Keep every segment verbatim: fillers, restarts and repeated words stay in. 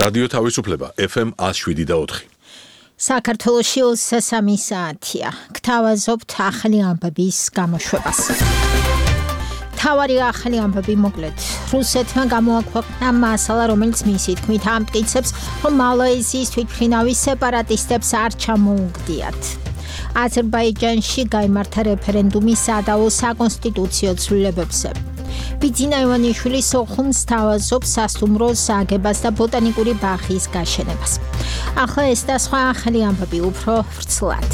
რადიო თავისუფლება ეფ ემ one oh seven და four. საქართველოში ოცდასამი საათია. გთავაზობთ ახალი ამბების გამოშვებას. თავარი ახალი ამბები მოკლედ. რუსეთმა გამოაქვეყნა მასალა, რომელიც მისი თქმით ამტკიცებს, რომ მალაიზიის თვითმფრინავის სეპარატისტებს არ ჩამოუგდიათ. აზერბაიჯანში გაიმართა რეფერენდუმი სადავო საკონსტიტუციო ცვლილებებზე. ბიძინა ივანიშვილი სოხუმს თავაზობს სასტუმროს აგებას და ბოტანიკური ბაღის გაშენებას. ახლა ეს და სხვა ახალი ამბები უფრო ვრცლად.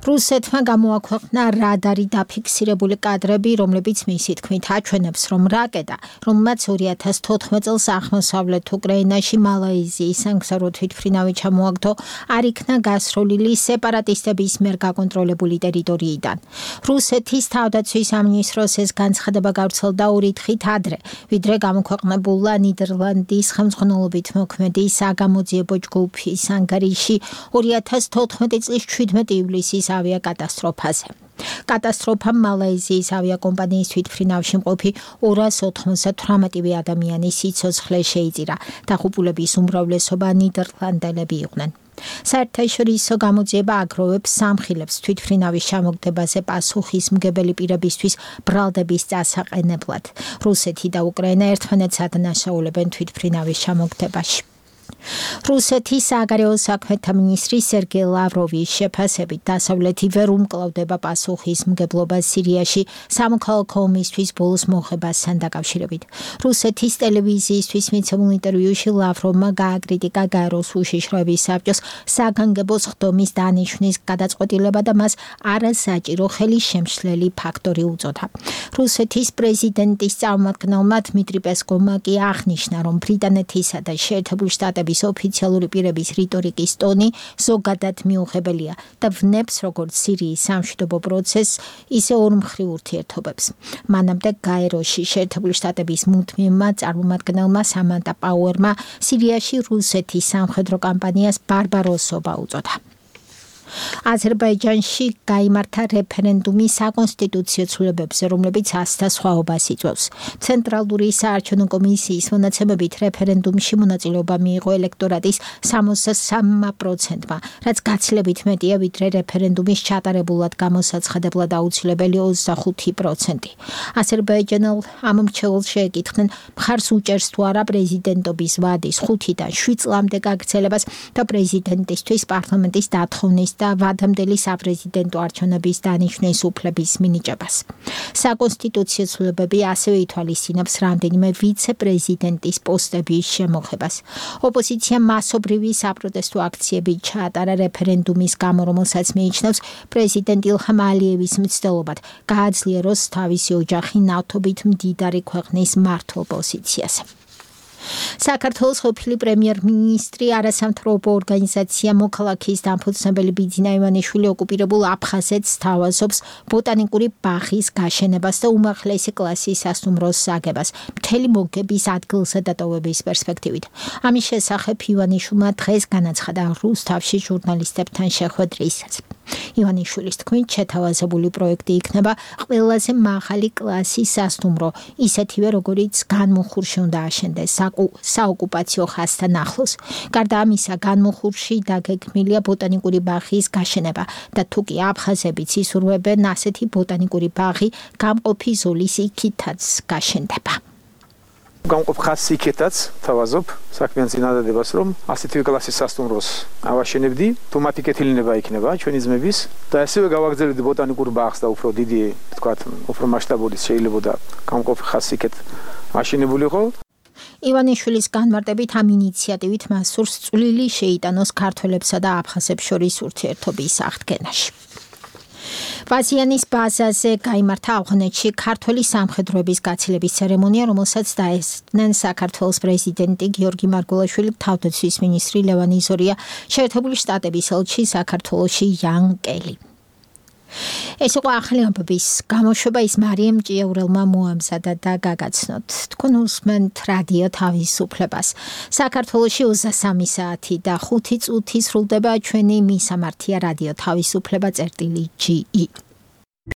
რუსეთმა გამოაქვეყნა რადარი დაფიქსირებული კადრები, რომლებიც მისი თქმით აჩვენებს, რომ რაკეტა, რომელმაც ორი ათას თოთხმეტ წელს აღმოსავლეთ უკრაინაში მალაიზიის სამგზავრო თვითმფრინავი ჩამოაგდო, არ იქნა გასროლილი სეპარატისტების მიერ გაკონტროლებული ტერიტორიიდან. რუსეთის თავდაცვის სამინისტროს ეს განცხადება გავრცელდა ორი დღით ადრე, ვიდრე გამოქვეყნებულა ნიდერლანდის ხელმძღვანელობით მოქმედი საგამოძიებო ჯგუფის ანგარიში ორი ათას თოთხმეტი წლის შვიდმეტი ივლისის ავიაკატასტროფაზე. კატასტროფამ მალაიზიის ავიაკომპანიის თვითმფრინავში მყოფი ორას ოთხმოცდათვრამეტი ადამიანის სიცოცხლე შეიწირა. დაღუპულების უმრავლესობა ნიდერლანდელები იყვნენ. საერთაშორისო გამოძიება აგროვებს სამხილებს თვითმფრინავის ჩამოგდებაზე პასუხისმგებელი პირებისთვის ბრალდების დასაყენებლად. რუსეთი და უკრაინა ერთმანეთს ადანაშაულებენ თვითმფრინავის ჩამოგდებაში. რუსეთის საგარეო საქმეთა მინისტრი სერგეი ლავროვის შეფასებით დასავლეთი ვერ უმკლავდება პასუხისმგებლობას სირიაში სამოქალაქო ომისთვის ბოლოს მოხებასთან დაკავშირებით. რუსეთის ტელევიზიისთვის მიცემულ ინტერვიუში ლავროვმა გააკრიტიკა გაეროს უშიშროების საბჭოს საგანგებოს ხდომის დანიშვნის გადაწყვეტილება და მას არასაჭირო ხელისშემშლელი ფაქტორი უწოდა. რუსეთის პრეზიდენტის წარმომადგენელმა დმიტრი პესკოვმა კი აღნიშნა, რომ ბრიტანეთისა და შეერთებული შტატების ოფიციალური პირების რიტორიკის ტონი ზოგადად მიუღებელია და ვნებს როგორც სირიის სამშვიდობო პროცესს, ისე ორმხრივ ურთიერთობებს. მანამდე გაეროში შეერთებული შტატების მუდმივმა წარმომადგენელმა სამანტა პაუერმა სირიაში რუსეთის სამხედრო კამპანიას ბარბაროსობა უწოდა. აზერბაიჯანში გაიმართა რეფერენდუმი საკონსტიტუციო ცვლილებებზე, რომლებიც ოცდა სხვაობას იწვევს. ცენტრალური საარჩევნო კომისიის მონაცემებით რეფერენდუმში მონაწილეობა მიიღო ელექტორატის სამოცდასამმა პროცენტმა, რაც გაცილებით მეტია, ვიდრე რეფერენდუმის ჩატარებულად გამოსაცხადებლად აუცილებელი ოცდახუთი პროცენტი. აზერბაიჯანელ ამ მრჩეველს შეეკითხნენ, მხარს უჭერს თუ არა პრეზიდენტობის ვადის ხუთიდან შვიდ წლამდე გაგრძელებას და პრეზიდენტისთვის პარლამენტის დათხოვნის და ვადამდელი საპრეზიდენტო არჩევნების დანიშვნის უფლების მინიჭებას. საკონსტიტუციო ცვლილებები ასევე ითვალისწინებს რამდენიმე ვიცე-პრეზიდენტის პოსტების შემოღებას. ოპოზიცია მასობრივი საპროტესტო აქციები ჩაატარა რეფერენდუმის გამო, რომელსაც მიიჩნევს პრეზიდენტ ილჰამ ალიევის მცდელობად გააძლიეროს თავისი ოჯახი ნავთობით მდიდარი ქვეყნის მმართველ პოზიციაზე. საქართველოს ყოფილი პრემიერ-მინისტრი არასამთავრობო ორგანიზაცია მოქალაქის დამფუძნებელი ბიძინა ივანიშვილი ოკუპირებულ აფხაზეთს თავაზობს ბოტანიკური ბაღის გაშენებას და უმაღლესი კლასის სასტუმროს აგებას მთელი მოგების ადგილზე დატოვების პერსპექტივით. ამის შესახებ ივანიშვილმა დღეს განაცხადა რუსთავში ჟურნალისტებთან შეხვედრისას. ივანიშვილის თქმით, შეთავაზებული პროექტი იქნება ყველაზე მაღალი კლასის სასტუმრო, ისეთივე როგორიც განმუხურში უნდა აშენდეს საოკუპაციო ხაზთან ახლოს. გარდა ამისა, განმუხურში დაგეგმილია ბოტანიკური ბაღის გაშენება და თუ კი აფხაზებიც ისურვებენ, ასეთი ბოტანიკური ბაღი გამყოფი ზოლის იქითაც გაშენდება. გამყოფ ხაზს იქითაც თავაზობ საქმიან წინადადებას, რომ ასეთივე კლასის სასტუმროს ავაშენებდი, თუ მათი კეთილინება იქნება ჩვენი ძმების და ასევე გავაგრძელებდი ბოტანიკურ ბაღს და უფრო დიდი, თქვათ, უფრო მასშტაბური შეიძლებოდა გამყოფ ხაზს იქეთ აშენებულიყო. ივანიშვილის განმარტებით ამ ინიციატივით მას სურს წვლილი შეიტანოს ქართველებსა და აფხაზებს შორის ურთიერთობის აღდგენაში. ვაზიანის ბაზაზე გაიმართა ავღანეთში ქართველი სამხედროების გაცილების ცერემონია, რომელსაც დაესწრნენ საქართველოს პრეზიდენტი გიორგი მარგველაშვილი, თავდაცვის მინისტრი ლევან იზორია, შეერთებული შტატების ელჩი საქართველოში იან კელი. ეს იყო ახალი ამბების გამოშვება, ის მარიამ ჭიაურელმა მოამზადა და გაგაცნოთ. თქვენ უსმენთ რადიო თავისუფლებას. საქართველოში ოცდასამი საათი და ხუთი წუთი სრულდება ჩვენი მისამართია რადიო თავისუფლება წერტილი ჯი ი.